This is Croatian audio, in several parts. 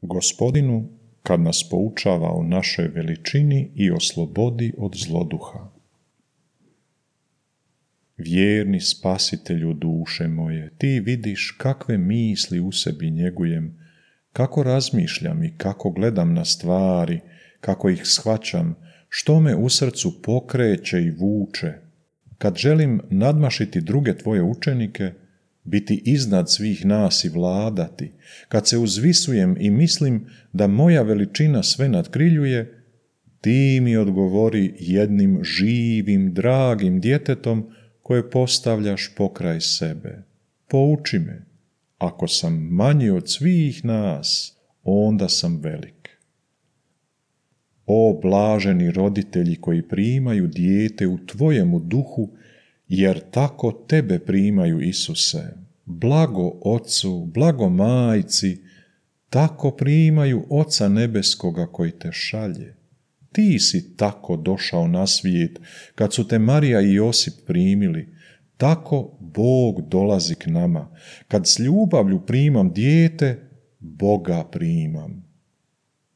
Gospodinu, kad nas poučava o našoj veličini i oslobodi od zloduha. Vjerni spasitelju duše moje, ti vidiš kakve misli u sebi njegujem, kako razmišljam i kako gledam na stvari, kako ih shvaćam, što me u srcu pokreće i vuče. Kad želim nadmašiti druge tvoje učenike, biti iznad svih nas i vladati, kad se uzvisujem i mislim da moja veličina sve nadkriljuje, ti mi odgovori jednim živim, dragim djetetom koje postavljaš pokraj sebe. Pouči me, ako sam manji od svih nas, onda sam velik. O blaženi roditelji koji primaju dijete u tvojemu duhu, jer tako tebe primaju, Isuse. Blago Ocu, blago Majci, tako primaju Oca nebeskoga koji te šalje. Ti si tako došao na svijet, kad su te Marija i Josip primili, tako Bog dolazi k nama. Kad s ljubavlju primam dijete, Boga primam.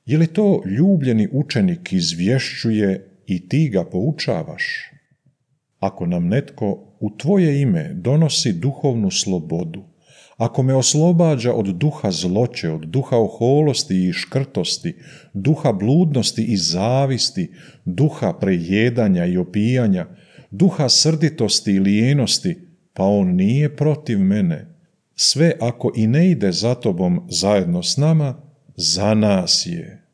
Je li to ljubljeni učenik izvješćuje i ti ga poučavaš? Ako nam netko u tvoje ime donosi duhovnu slobodu, ako me oslobađa od duha zloće, od duha oholosti i škrtosti, duha bludnosti i zavisti, duha prejedanja i opijanja, duha srditosti i lijenosti, pa on nije protiv mene. Sve ako i ne ide za tobom zajedno s nama, za nas je.